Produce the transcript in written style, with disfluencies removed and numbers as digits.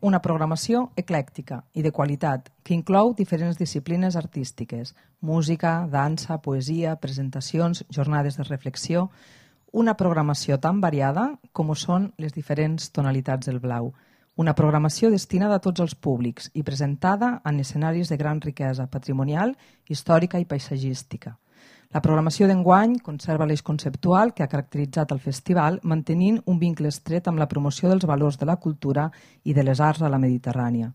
Una programació eclèctica i de qualitat que inclou diferents disciplines artístiques, música, dansa, poesia, presentacions, jornades de reflexió, una programació tan variada com ho són les diferents tonalitats del blau. Una programació destinada a tots els públics i presentada en escenaris de gran riquesa patrimonial, històrica i paisatgística. La programació d'enguany conserva l'eix conceptual que ha caracteritzat el festival, mantenint un vincle estret amb la promoció dels valors de la cultura i de les arts a la Mediterrània.